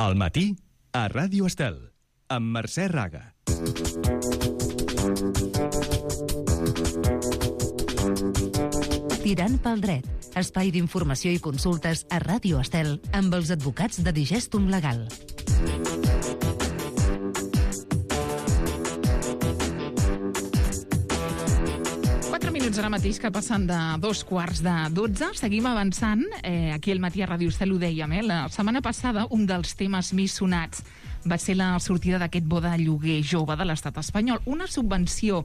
Al matí, a Ràdio Estel, amb Mercè Raga. Tirant pel dret, espai d'informació i consultes a Ràdio Estel amb els advocats de Digestum Legal. Ara mateix que passen de 2:15. Seguim avançant. Aquí al matí a Ràdio Estel ho dèiem. La setmana passada un dels temes més sonats va ser la sortida d'aquest bo de lloguer jove de l'estat espanyol. Una subvenció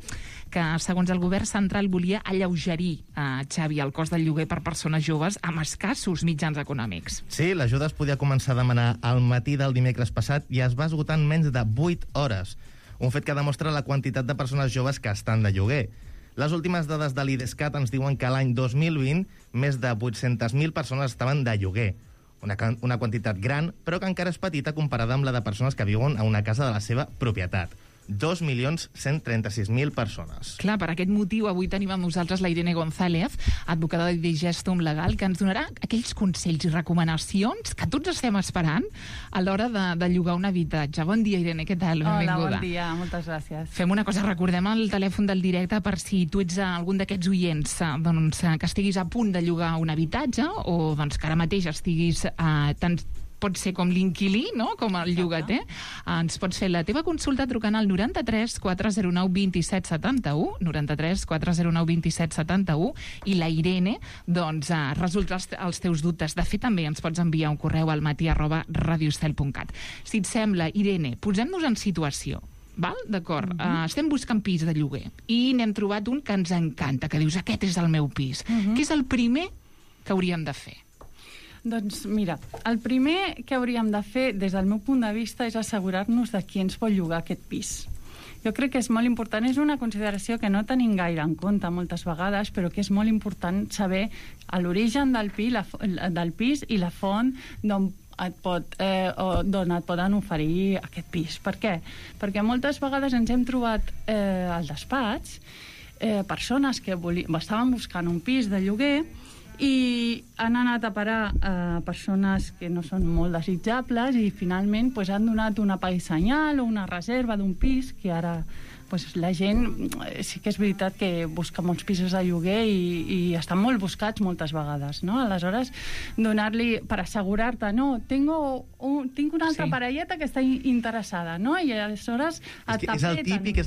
que, segons el govern central, volia alleugerir, Xavi, el cost del lloguer per persones joves amb escassos mitjans econòmics. Sí, l'ajuda es podia començar a demanar al matí del dimecres passat i es va esgotar en menys de 8 hores. Un fet que demostra la quantitat de persones joves que estan de lloguer. Les últimes dades de l'IDESCAT ens diuen que l'any 2020 més de 800.000 persones estaven de lloguer. Una quantitat gran, però que encara és petita comparada amb la de persones que viuen a una casa de la seva propietat. 2.136.000 persones. Clar, per aquest motiu avui tenim amb nosaltres la Irene González, advocada de Digestum Legal, que ens donarà aquells consells i recomanacions que tots estem esperant a l'hora de llogar un habitatge. Bon dia, Irene, què tal? Hola, bon dia, moltes gràcies. Fem una cosa, recordem el telèfon del directe per si tu ets algun d'aquests oients que estiguis a punt de llogar un habitatge o que ara mateix estiguis pot ser com l'inquilí, no? Com el llogater. Ens pots fer la teva consulta trucant al 93 409 27 71, 93 409 27 71, i la Irene, resoldrà els teus dubtes. De fet, també ens pots enviar un correu al matí@radioestel.cat. Si et sembla, Irene, posem-nos en situació. Val? D'acord. Estem buscant pis de lloguer i n'hem trobat un que ens encanta, que dius, aquest és el meu pis. Què és el primer que hauríem de fer? Doncs mira, el primer que hauríem de fer, des del meu punt de vista, és assegurar-nos de qui ens vol llogar aquest pis. Jo crec que és molt important, és una consideració que no tenim gaire en compte moltes vegades, però que és molt important saber l'origen del pis i la font d'on et poden oferir aquest pis. Per què? Perquè moltes vegades ens hem trobat al despatx persones que estaven buscant un pis de lloguer i han anat a parar a persones que no són molt desitjables i finalment han donat una paisanyal o una reserva d'un pis que ara la gent sí que és veritat que busca molts pisos de lloguer i estan molt buscats moltes vegades, no? Aleshores, donar-li, per assegurar-te, no, tinc una altra parelleta que està interessada, no? I aleshores és el típic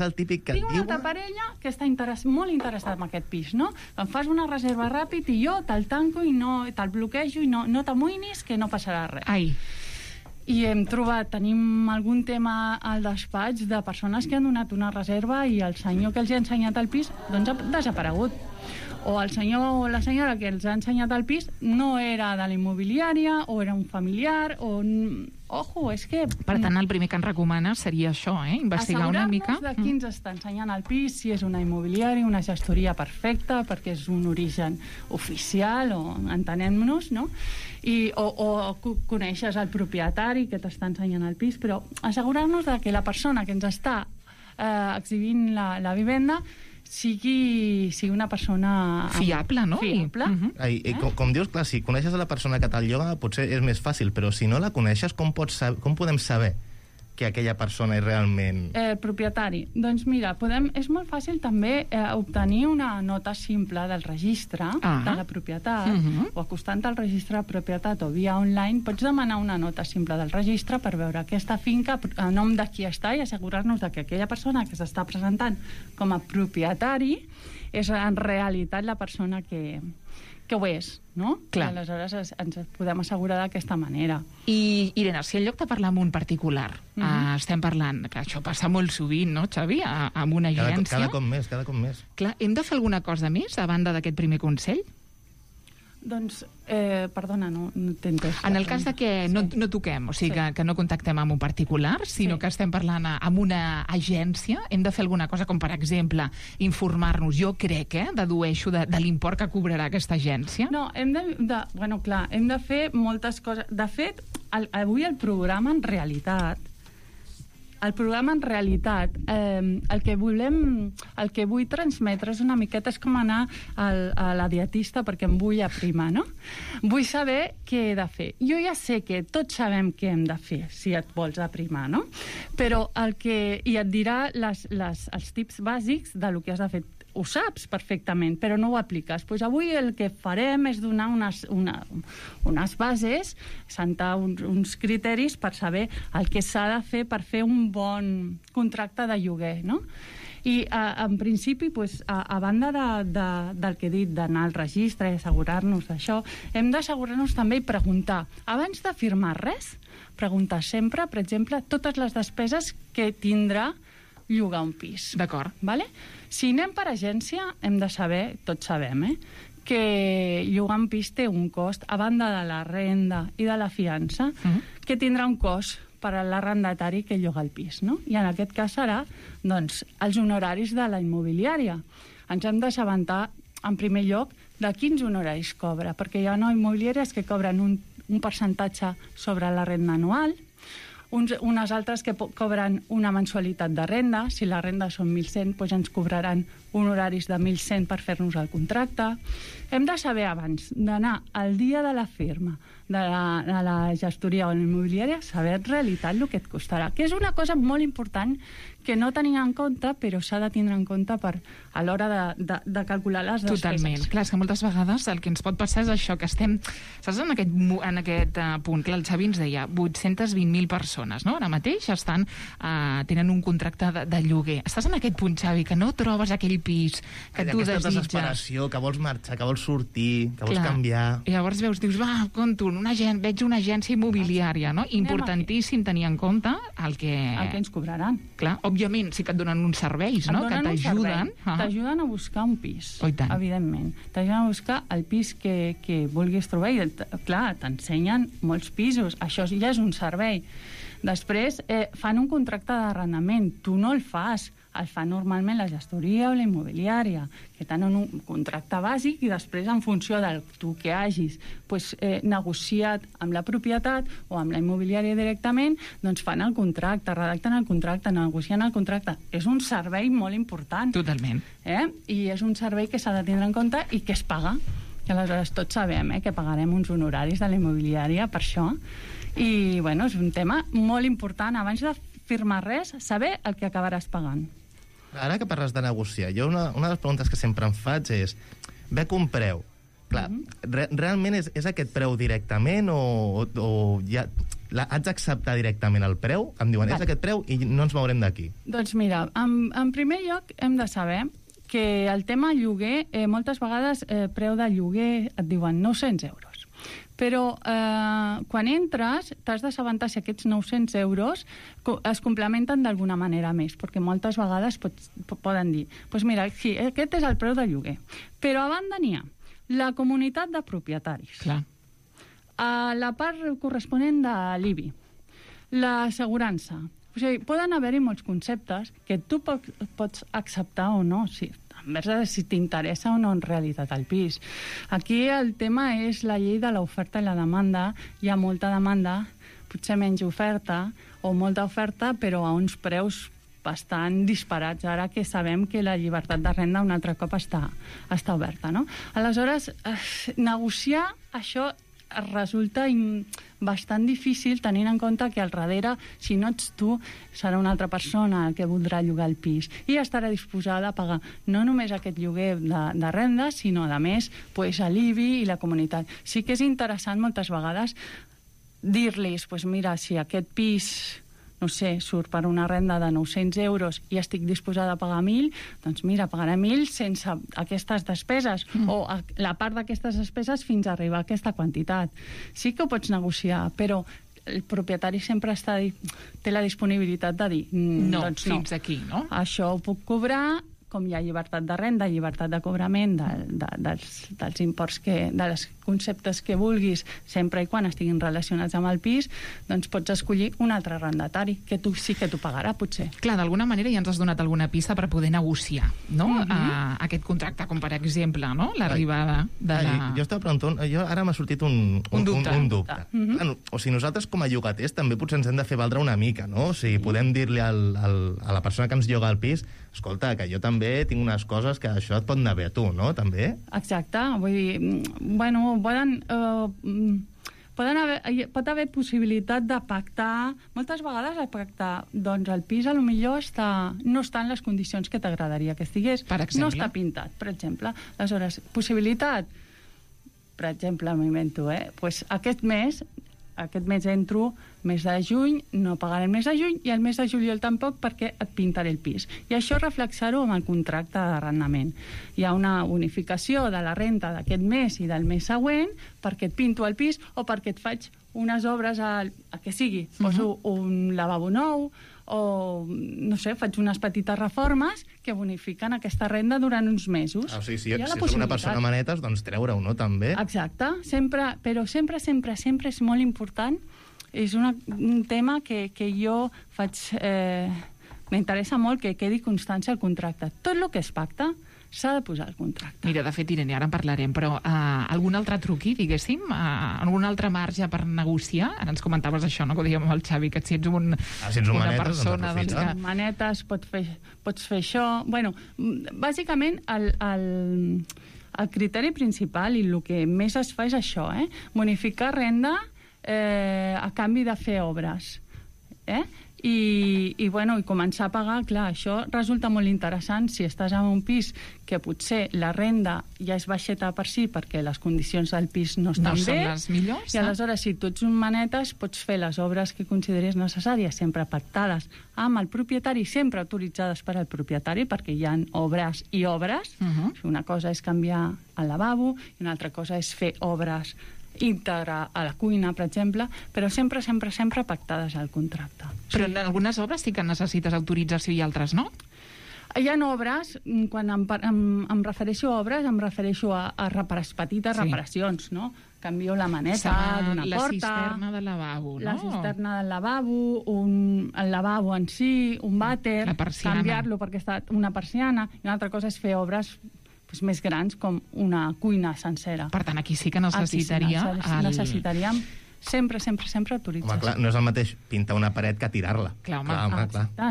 que tinc una altra parella que està molt interessada en aquest pis, no? Em fas una reserva ràpid i jo te'l tanco i te'l bloquejo i no t'amoïnis que no passarà res. Ai. I tenim algun tema al despatx de persones que han donat una reserva i el senyor que els ha ensenyat el pis ha desaparegut. O el senyor o la senyora que els ha ensenyat el pis no era de la immobiliària o era un familiar o... Ojo, és que... Per tant, el primer que ens recomana seria això, investigar una mica. Assegurar-nos de qui ens està ensenyant el pis, si és una immobiliària, una gestoria perfecta, perquè és un origen oficial, o entenem-nos, no? O coneixes el propietari que t'està ensenyant el pis, però assegurar-nos de que la persona que ens està exhibint la vivenda sigui una persona fiable, no? Fiable. Com dius, clar, si coneixes la persona que te'l lloga potser és més fàcil, però si no la coneixes, com podem saber que aquella persona és realment... propietari. Doncs mira, és molt fàcil també obtenir una nota simple del registre de la propietat, o acostant al registre de propietat o via online, pots demanar una nota simple del registre per veure aquesta finca, a nom de qui està, i assegurar-nos de que aquella persona que s'està presentant com a propietari és en realitat la persona que ho és, no? Clar. I aleshores ens podem assegurar d'aquesta manera. I, Irene, si en lloc de parlar amb un particular estem parlant, que això passa molt sovint, no, Xavi, amb una agència... Cada cop més. Clar, hem de fer alguna cosa més a banda d'aquest primer consell? Doncs, perdona, no t'he entès. En el cas de que no toquem, o sigui, que no contactem amb un particular, sinó que estem parlant amb una agència, hem de fer alguna cosa, com per exemple, informar-nos, jo crec, dedueixo de l'import que cobrarà aquesta agència? No, hem de fer moltes coses. De fet, avui el programa, en realitat, el programa en realitat el que vull transmetre és una miqueta, és com anar a la dietista perquè em vull aprimar, no? Vull saber què he de fer. Jo ja sé que tots sabem què hem de fer si et vols aprimar, no? Però i et dirà els tips bàsics del que has de fer. Ho saps perfectament, però no ho apliques. Pues avui el que farem és donar unes bases, sentar uns criteris per saber el que s'ha de fer per fer un bon contracte de lloguer, no? I en principi, pues, a banda del que he dit, d'anar al registre i assegurar-nos d'això, hem d'assegurar-nos també i preguntar, abans de firmar res, preguntar sempre, per exemple, totes les despeses que tindrà llogar un pis. D'acord. Vale? Si anem per agència, hem de saber, tots sabem, que llogar un pis té un cost, a banda de la renda i de la fiança, que tindrà un cost per a l'arrendatari que lloga el pis, no? I en aquest cas serà, doncs, els honoraris de la immobiliària. Ens hem d'assabentar, en primer lloc, de quins honoraris cobra, perquè hi ha immobiliàries que cobren un percentatge sobre la renda anual, unes altres que cobren una mensualitat de renda. Si la renda són 1.100, doncs ens cobraran honoraris de 1.100 per fer-nos el contracte. Hem de saber abans d'anar al dia de la firma de la gestoria o l'immobiliària, saber en realitat el que et costarà, que és una cosa molt important que no tenim en compte, però s'ha de tindre en compte a l'hora de calcular les despeses. Totalment. Clar, és que moltes vegades el que ens pot passar és això, que estem, saps, en aquest punt. Clar, el Xavi ens deia 820.000 persones, no? Ara mateix tenen un contracte de lloguer. Estàs en aquest punt, Xavi, que no trobes aquell pis que tu desitges. Aquesta desesperació, que vols marxar, que vols sortir, que vols canviar. I llavors dius, compto, veig una agència immobiliària, no? Importantíssim tenir en compte el que ens cobraran. Clar, òbviament sí que et donen uns serveis, no? Que t'ajuden. T'ajuden a buscar un pis, oh, evidentment. T'ajuden a buscar el pis que vulguis trobar i, clar, t'ensenyen molts pisos. Això ja és un servei. Després fan un contracte d'arrendament. Tu no el fas. El fa normalment la gestoria o la immobiliària, que tenen un contracte bàsic i després, en funció del tu que hagis negociat amb la propietat o amb la immobiliària directament, doncs fan el contracte, redacten el contracte, negocien el contracte. És un servei molt important. Totalment. I és un servei que s'ha de tindre en compte i que es paga. Que aleshores tots sabem que pagarem uns honoraris de la immobiliària per això. I, bueno, és un tema molt important. Abans de firmar res, saber el que acabaràs pagant. Ara que parles de negociar, jo una de les preguntes que sempre em faig és, veig un preu. Clar, realment és aquest preu directament o ja haig d'acceptar directament el preu? Em diuen, és aquest preu i no ens mourem d'aquí. Doncs mira, en primer lloc hem de saber que el tema lloguer, moltes vegades preu de lloguer et diuen 900 euros. Però quan entres t'has d'assabentar si aquests 900 euros es complementen d'alguna manera més, perquè moltes vegades poden dir, doncs mira, sí, aquest és el preu de lloguer, però a banda n'hi ha la comunitat de propietaris, la part corresponent de l'IBI, l'assegurança. O sigui, poden haver-hi molts conceptes que tu pots acceptar o no, envers si t'interessa o no en realitat el pis. Aquí el tema és la llei de l'oferta i la demanda. Hi ha molta demanda, potser menys oferta, o molta oferta, però a uns preus bastant disparats, ara que sabem que la llibertat de renda un altre cop està oberta, no? Aleshores, negociar això resulta bastant difícil, tenint en compte que al darrere, si no ets tu, serà una altra persona que voldrà llogar el pis i estarà disposada a pagar no només aquest lloguer de renda, sinó, a més, l'IBI i la comunitat. Sí que és interessant moltes vegades dir-los, mira, si aquest pis, no sé, surt per una renda de 900 euros i estic disposada a pagar 1.000, doncs mira, pagaré 1.000 sense aquestes despeses, o la part d'aquestes despeses fins a arribar a aquesta quantitat. Sí que ho pots negociar, però el propietari sempre té la disponibilitat de dir no, doncs fins aquí, no? Això ho puc cobrar, com hi ha llibertat de renda, llibertat de cobrament dels imports de les conceptes que vulguis, sempre i quan estiguin relacionats amb el pis, doncs pots escollir un altre arrendatari, que tu sí que t'ho pagarà, potser. Clar, d'alguna manera ja ens has donat alguna pista per poder negociar, no? Aquest contracte, com per exemple, no? L'arribada de la... Jo estava preguntant, ara m'ha sortit un dubte. O sigui, nosaltres com a llogaters també potser ens hem de fer valdre una mica, no? O sigui, podem dir-li a la persona que ens lloga el pis, escolta, que jo també tinc unes coses que això et pot anar bé a tu, no? També? Exacte, vull dir, bueno, pot haver possibilitat de pactar, moltes vegades de pactar, doncs el pis a lo millor no està en les condicions que t'agradaria que estigués, no està pintat, per exemple. Aleshores, possibilitat, per exemple, m'invento, pues aquest mes entro mes de juny, no pagaré el mes de juny, i el mes de juliol tampoc, perquè et pintaré el pis. I això reflexar-ho amb el contracte d'arrendament. Hi ha una bonificació de la renta d'aquest mes i del mes següent perquè et pinto el pis o perquè et faig unes obres a que sigui. Poso un lavabo nou o, no sé, faig unes petites reformes que bonifiquen aquesta renda durant uns mesos. O sigui, si és una persona manetes, doncs treure-ho, no, també? Exacte, però sempre és molt important. És un tema que jo faig... m'interessa molt que quedi constància al contracte. Tot el que es pacta s'ha de posar al contracte. Mira, de fet, Irene, ara en parlarem, però algun altre truqui, diguéssim? Algun altre marge per negociar? Ara ens comentaves això, no?, que ho dèiem amb el Xavi, que si ets una manetes, persona... Doncs amb manetes pots fer això... Bueno, bàsicament, el criteri principal i el que més es fa és això, bonificar renda a canvi de fer obres. I començar a pagar, clar, això resulta molt interessant si estàs en un pis que potser la renda ja és baixeta per si perquè les condicions del pis no estan bé. No són les millors. I aleshores, si tu ets un manetes, pots fer les obres que consideris necessàries, sempre pactades amb el propietari, sempre autoritzades per al propietari, perquè hi ha obres i obres. Una cosa és canviar el lavabo i una altra cosa és fer obres íntegra a la cuina, per exemple, però sempre pactades al contracte. Però en algunes obres sí que necessites autorització i altres no? Hi ha obres, quan em refereixo a obres, em refereixo a petites reparacions, no? Canvio la maneta d'una porta... La cisterna del lavabo, no? La cisterna del lavabo, el lavabo en si, un vàter, canviar-lo perquè està una persiana, i una altra cosa és fer obres més grans, com una cuina sencera. Per tant, aquí sí que necessitaríem sempre autorització. Home, clar, no és el mateix pintar una paret que tirar-la. Clar.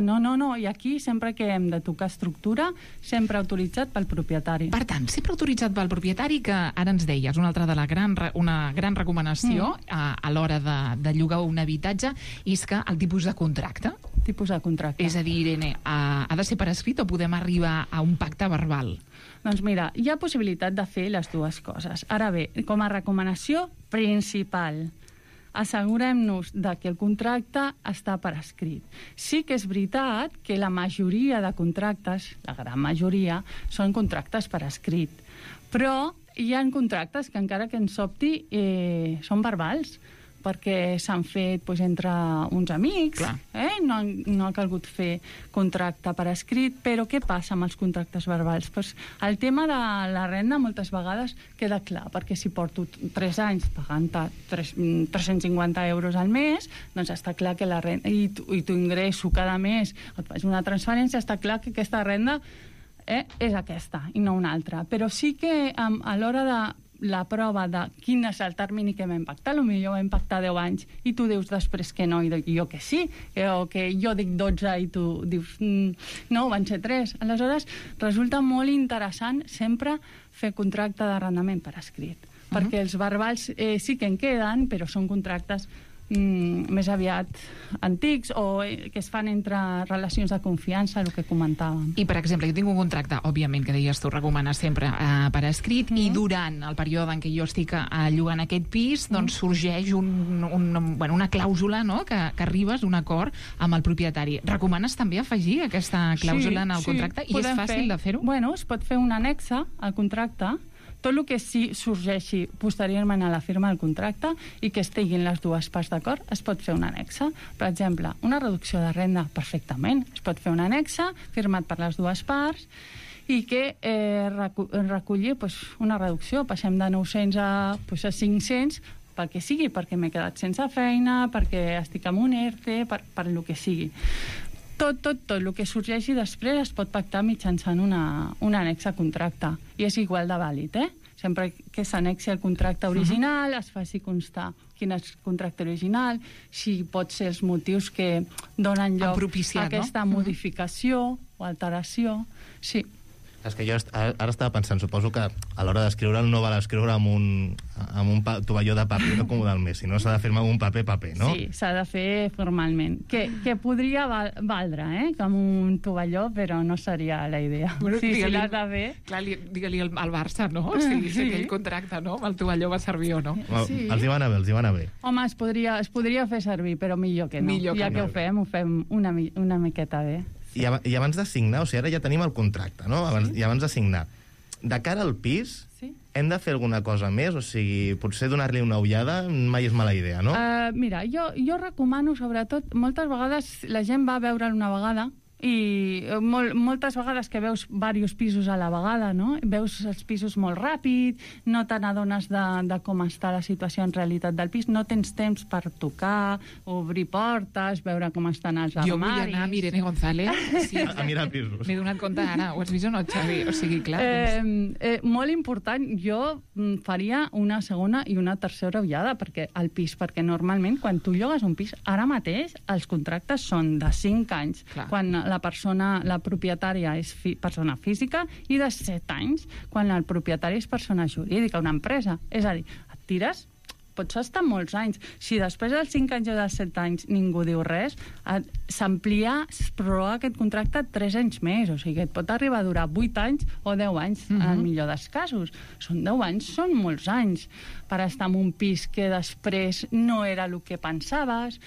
No, i aquí sempre que hem de tocar estructura, sempre autoritzat pel propietari. Per tant, sempre autoritzat pel propietari, que ara ens deies, una altra de una gran recomanació a l'hora de llogar un habitatge és que el tipus de contracte. És a dir, Irene, ha de ser per escrit o podem arribar a un pacte verbal? Doncs mira, hi ha possibilitat de fer les dues coses. Ara bé, com a recomanació principal, assegurem-nos que el contracte està per escrit. Sí que és veritat que la majoria de contractes, la gran majoria, són contractes per escrit. Però hi ha contractes que, encara que ens sobti, són verbals, perquè s'han fet entre uns amics, no ha calgut fer contracte per escrit. Però què passa amb els contractes verbals? El tema de la renda moltes vegades queda clar, perquè si porto 3 anys pagant 350 euros al mes, doncs està clar que la renda, i tu ingresso cada mes, et faig una transferència, està clar que aquesta renda és aquesta i no una altra. Però sí que a l'hora de la prova de quin és el termini que vam pactar, potser vam pactar 10 anys i tu dius després que no i jo que sí, o que jo dic 12 i tu dius no, van ser 3. Aleshores resulta molt interessant sempre fer contracte d'arrendament per escrit, perquè els verbals sí que en queden, però són contractes més aviat antics o que es fan entre relacions de confiança, el que comentàvem. I, per exemple, jo tinc un contracte, òbviament, que deies tu, recomanes sempre per escrit, i durant el període en què jo estic llogant aquest pis, doncs sorgeix una clàusula, no?, que arribes a un acord amb el propietari. Recomanes també afegir aquesta clàusula en el contracte? I és fàcil de fer-ho? Bueno, es pot fer un annexe al contracte, tot el que sí sorgeixi posteriorment a la firma del contracte i que estiguin les dues parts d'acord, es pot fer un annexe. Per exemple, una reducció de renda, perfectament. Es pot fer un annexe firmat per les dues parts i que recollir una reducció. Passem de 900 a 500, perquè sigui, perquè m'he quedat sense feina, perquè estic amb un ERTE, per lo que sigui. Tot el que sorgeixi després es pot pactar mitjançant un annex a contracte, i és igual de vàlid, Sempre que s'annexi el contracte original, es faci constar quin és el contracte original, si pot ser els motius que donen lloc a aquesta modificació o alteració. Sí. És que jo ara estava pensant, suposo que a l'hora d'escriure'l no val escriure amb un tovalló de paper no com del Messi, no? S'ha de firmar amb un paper, no? Sí, s'ha de fer formalment. Que podria valdre, com un tovalló, però no seria la idea. Bueno, si l'has de fer... Clar, digue-li al Barça, no? Si aquell contracte, no? El tovalló va servir o no. Sí. Els hi va anar bé, Home, es podria fer servir, però millor que no. Ja que ho fem una miqueta bé. I abans de signar, o sigui, ara ja tenim el contracte, no? I abans de signar. De cara al pis, hem de fer alguna cosa més? O sigui, potser donar-li una ullada mai és mala idea, no? Mira, jo recomano, sobretot, moltes vegades la gent va a veure'l una vegada i moltes vegades que veus diversos pisos a la vegada, no? Veus els pisos molt ràpid, no te n'adones de com està la situació en realitat del pis, no tens temps per tocar, obrir portes, veure com estan els armaris... Jo vull anar amb Irene González. Sí, a mirar pisos. M'he donat compte ara, ho has vist o no, Xavi? O sigui, clar... Molt important, jo faria una segona i una tercera ullada al pis, perquè normalment quan tu llogues un pis, ara mateix els contractes són de 5 anys, quan la propietària és persona física, i de 7 anys quan el propietari és persona jurídica, una empresa. És a dir, et tires, pots estar molts anys. Si després dels 5 anys o dels 7 anys ningú diu res, s'amplia, es prorroga aquest contracte 3 anys més, o sigui, et pot arribar a durar 8 anys o 10 anys, en el millor dels casos. Són 10 anys, són molts anys per estar en un pis que després no era el que pensaves.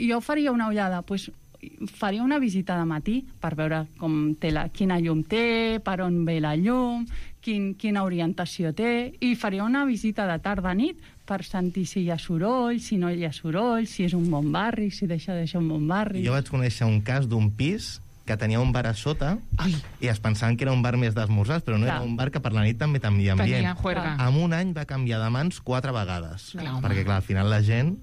Jo faria una ullada, faria una visita de matí per veure quina llum té, per on ve la llum, quina orientació té, i faria una visita de tarda-nit per sentir si hi ha soroll, si no hi ha soroll, si és un bon barri, si deixa de ser un bon barri. Jo vaig conèixer un cas d'un pis que tenia un bar a sota i es pensaven que era un bar més d'esmorzars, però no era un bar que per la nit també tenia ambient. Tenia juerga. En un any va canviar de mans 4 vegades. Perquè, clar, al final la gent...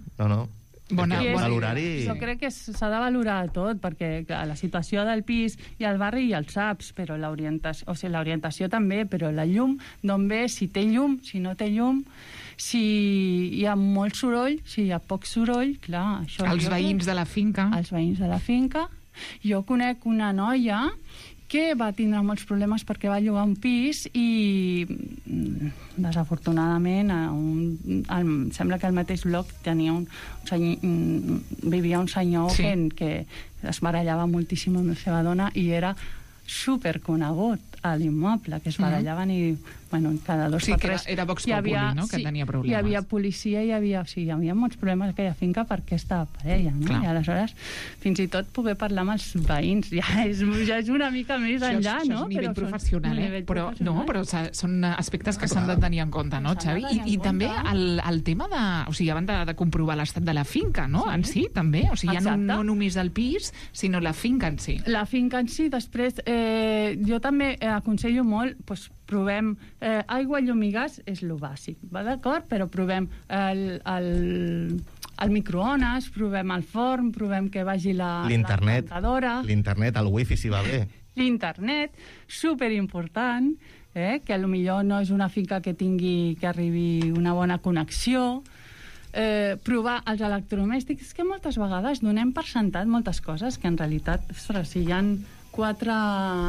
Jo crec que s'ha de valorar tot, perquè clar, la situació del pis i el barri ja el saps, però l'orientació també, però la llum, d'on ve, si té llum, si no té llum, si hi ha molt soroll, si hi ha poc soroll, clar... Els veïns de la finca. Els veïns de la finca. Jo conec una noia que va tindre molts problemes perquè va llogar un pis i desafortunadament sembla que al mateix bloc vivia un senyor que es barallava moltíssim amb la seva dona i era superconegut a l'immoble, que es barallaven i cada 2 o 3... Era Vox Populi, no?, que tenia problemes. Hi havia policia, hi havia molts problemes a aquella finca per aquesta parella, no? I aleshores, fins i tot poder parlar amb els veïns, ja és una mica més enllà, no? Això és nivell professional, però són aspectes que s'han de tenir en compte, no, Xavi? I també el tema de... O sigui, abans de comprovar l'estat de la finca, no?, en si, també. O sigui, ja no només el pis, sinó la finca en si. La finca en si, després, jo també aconsello molt, provem aigua, llum i gas, és lo bàsic, va d'acord? Però provem el microones, provem el forn, provem que vagi la rentadora. L'internet, el wifi, si va bé. L'internet, superimportant, que potser no és una finca que tingui que arribi una bona connexió. Provar els electrodomèstics, que moltes vegades donem per sentat moltes coses que en realitat, si hi ha 4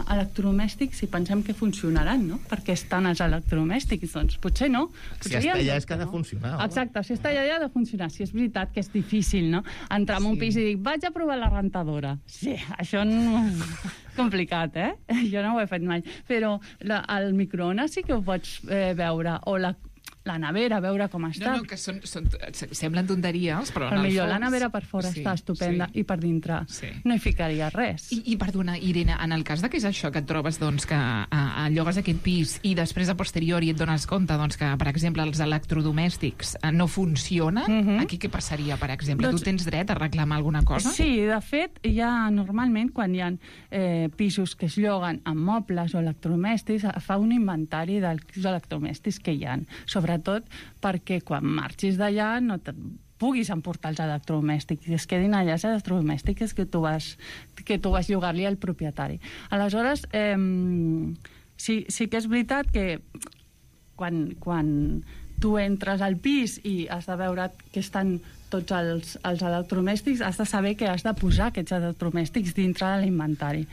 electrodomèstics i pensem que funcionaran, no? Perquè estan els electrodomèstics, doncs potser no. Si està allà és que ha de funcionar. Exacte, si està allà ha de funcionar. Si és veritat que és difícil, no? Entrar en un pis i dir, vaig a provar la rentadora. Sí, això no... complicat, Jo no ho he fet mai. Però el microones sí que ho pots veure, o la nevera, a veure com està. No, que semblen tonteries, però en el millor fons... la nevera per fora està estupenda i per dintre no hi ficaria res. I perdona, Irene, en el cas de que és això, que et trobes doncs, que llogues aquest pis i després a posteriori et dones compte doncs, que, per exemple, els electrodomèstics no funcionen, aquí què passaria, per exemple? Tu tens dret a reclamar alguna cosa? Sí, de fet, normalment quan hi ha pisos que es lloguen amb mobles o electrodomèstics, fa un inventari dels electrodomèstics que hi ha, sobretot perquè quan marxis d'allà no puguis emportar els electrodomèstics i es quedin allà els electrodomèstics que tu vas llogar-li al propietari. Aleshores, sí que és veritat que quan tu entres al pis i has de veure que estan tots els electrodomèstics, has de saber que has de posar aquests electrodomèstics dintre de l'inventari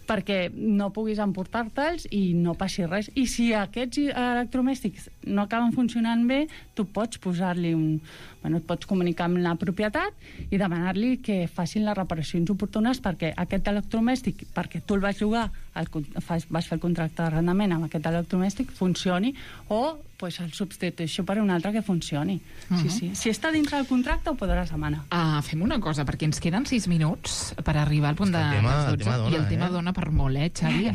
perquè no puguis emportar-te'ls i no passi res. I si aquests electrodomèstics no acaben funcionant bé, tu pots posar-li et pots comunicar amb la propietat i demanar-li que facin les reparacions oportunes perquè aquest electrodomèstic, perquè tu el vas llogar, vas fer el contracte d'arrendament amb aquest electrodomèstic, funcioni, o el substitueixo per un altre que funcioni. Sí. Si està dintre del contracte, ho podràs demanar. Fem una cosa, perquè ens queden 6 minuts per arribar al punt de les 12, i el tema dona per molt, Xavi?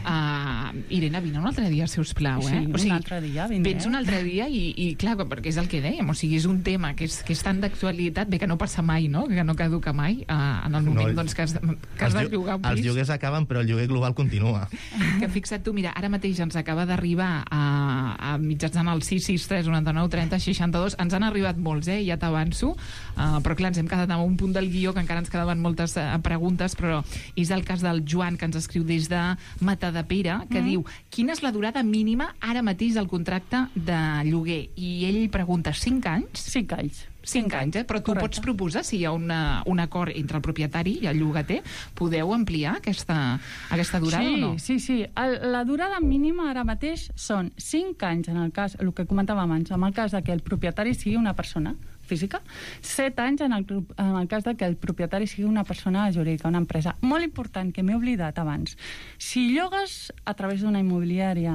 Irene, vine un altre dia, sisplau. Sí, un altre dia vindré. Vens un altre dia i clar, perquè és el que dèiem, o sigui, és un tema que és tan d'actualitat, bé que no passa mai, no? Que no caduca mai en el moment que has de llogar un pis. Els lloguers acaben, però el lloguer global continua. Que fixa't tu, mira, ara mateix ens acaba d'arribar a mitjançant el 663 99 30 62, ens han arribat molts, ja t'avanço, però clar, ens hem quedat amb un punt del guió que encara ens quedaven moltes preguntes, però és el cas del Joan, que ens escriu des de Matadepera, que diu, quina és la durada mínima ara mateix del contracte de lloguer? I ell pregunta, 5 anys? 5 anys. 5 anys, però tu pots proposar, si hi ha un acord entre el propietari i el llogater, podeu ampliar aquesta durada o no? Sí. La durada mínima ara mateix són 5 anys, en el cas, el que comentàvem abans, en el cas que el propietari sigui una persona física, 7 anys en el cas que el propietari sigui una persona jurídica, una empresa. Molt important, que m'he oblidat abans. Si llogues a través d'una immobiliària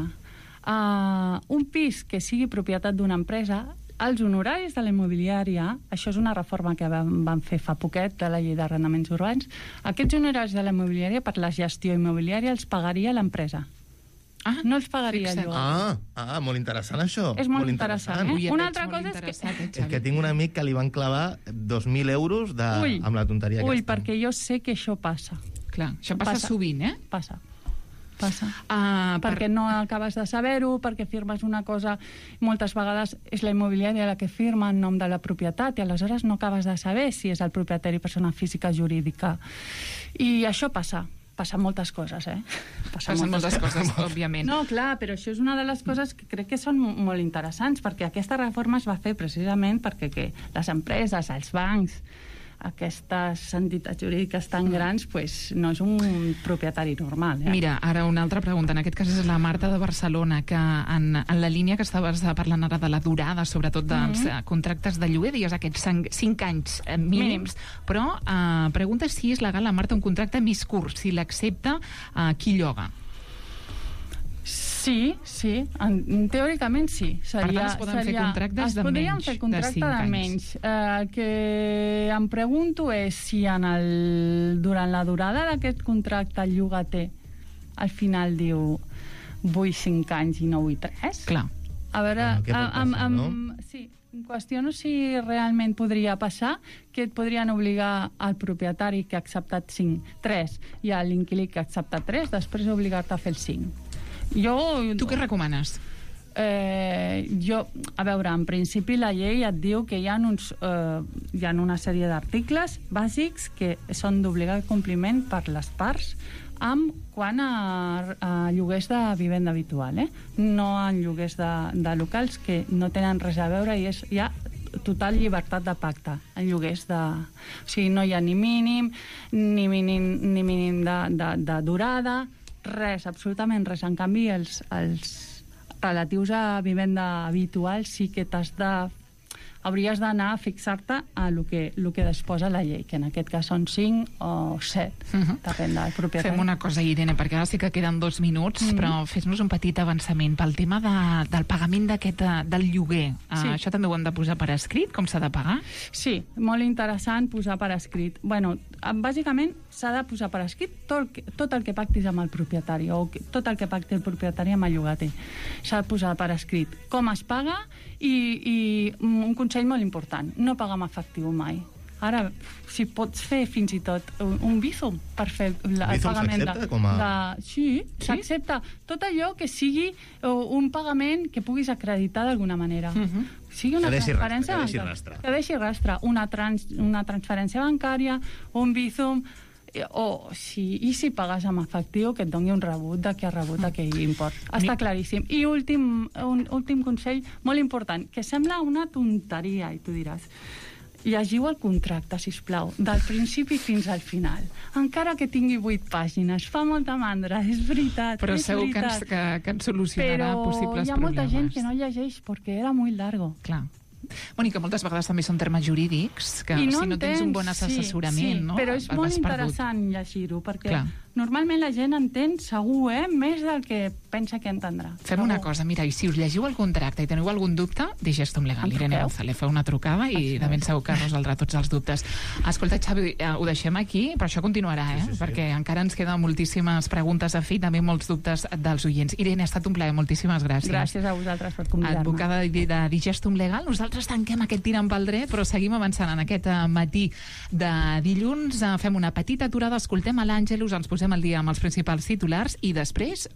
un pis que sigui propietat d'una empresa, els honoraris de la immobiliària, això és una reforma que van fer fa poquet de la llei d'arrendaments urbans, aquests honoraris de la immobiliària per la gestió immobiliària els pagaria l'empresa. No els pagaria el lloguer. Molt interessant això. És molt interessant. Una altra cosa és que tinc un amic que li van clavar 2.000 euros amb la tonteria aquesta. Perquè jo sé que això passa. Clar, això passa sovint, Passa. Perquè no acabes de saber-ho, perquè firmes una cosa, moltes vegades és la immobiliària la que firma en nom de la propietat i aleshores no acabes de saber si és el propietari persona física o jurídica. I això passen moltes coses, Passen moltes coses, òbviament. No, clar, però això és una de les coses que crec que són molt interessants, perquè aquesta reforma es va fer precisament perquè les empreses, els bancs, aquestes entitats jurídiques tan grans, no és un propietari normal. Mira, ara una altra pregunta. En aquest cas és la Marta de Barcelona, que en la línia que estaves parlant ara de la durada, sobretot dels contractes de lloguer, digues aquests 5 anys mínims, però pregunta si és legal, la Marta, un contracte més curt, si l'accepta qui lloga. Sí, teòricament sí. Per tant, es poden fer contractes de menys. Es podrien fer contractes de menys. El que em pregunto és si durant la durada d'aquest contracte el llogater al final diu vull 5 anys i no vull 3. Clar. A veure, sí, em qüestiono si realment podria passar que et podrien obligar al propietari que ha acceptat 3 i a l'inquilí que ha acceptat 3, després obligar-te a fer el 5. Tu què recomanes? A veure, en principi la llei et diu que hi ha una sèrie d'articles bàsics que són d'obligat compliment per les parts quant a lloguers de vivenda habitual, no en lloguers de locals que no tenen res a veure i hi ha total llibertat de pacte en lloguers o sigui, no hi ha ni mínim de durada, res, absolutament res. En canvi, els relatius a vivenda habitual sí que t'has de hauries d'anar a fixar-te a lo que disposa la llei, que en aquest cas són 5 o 7, depèn del propietari. Fem una cosa, Irene, perquè ara sí que queden 2 minuts, però fes-nos un petit avançament pel tema del pagament del lloguer. Sí. Això també ho hem de posar per escrit, com s'ha de pagar? Sí, molt interessant posar per escrit. Bueno, bàsicament s'ha de posar per escrit tot el que pactis amb el propietari o tot el que pacti el propietari amb el llogater. S'ha de posar per escrit com es paga i un consell molt important, no pagar amb efectiu mai. Ara, si pots fer fins i tot un Bizum per fer el pagament Sí, s'accepta tot allò que sigui un pagament que puguis acreditar d'alguna manera. Sigui una transferència bancària. Que deixi rastre. Una transferència bancària, un Bizum, i si pagues amb efectiu, que et doni un rebut de que ha rebut aquell import. Està claríssim. I un últim consell molt important, que sembla una tonteria, i tu diràs, llegiu el contracte, sisplau, del principi fins al final. Encara que tingui 8 pàgines, fa molta mandra, és veritat. Però segur que ens solucionarà possibles problemes. Però hi ha molta gent que no llegeix perquè era molt largo. Clar. Mònica, moltes vegades també són termes jurídics que si no tens un bon assessorament, no? Però és molt interessant llegir-ho, perquè normalment la gent entén, segur, més del que pensa que entendrà. Fem una cosa, mira, i si us llegiu el contracte i teniu algun dubte, Digestum Legal, Irene González, feu una trucada i de ben segur que resoldrà tots els dubtes. Escolta, Xavi, ho deixem aquí, però això continuarà, perquè encara ens queden moltíssimes preguntes a fer i també molts dubtes dels oients. Irene, ha estat un plaer, moltíssimes gràcies. Gràcies a vosaltres per convidar-me. Advocada de Digestum Legal, nosaltres tanquem aquest tirant pel dret, però seguim avançant en aquest matí de dilluns. Fem una petita aturada, escoltem a l'Àngelus, ens posem al dia amb els principals titulars i després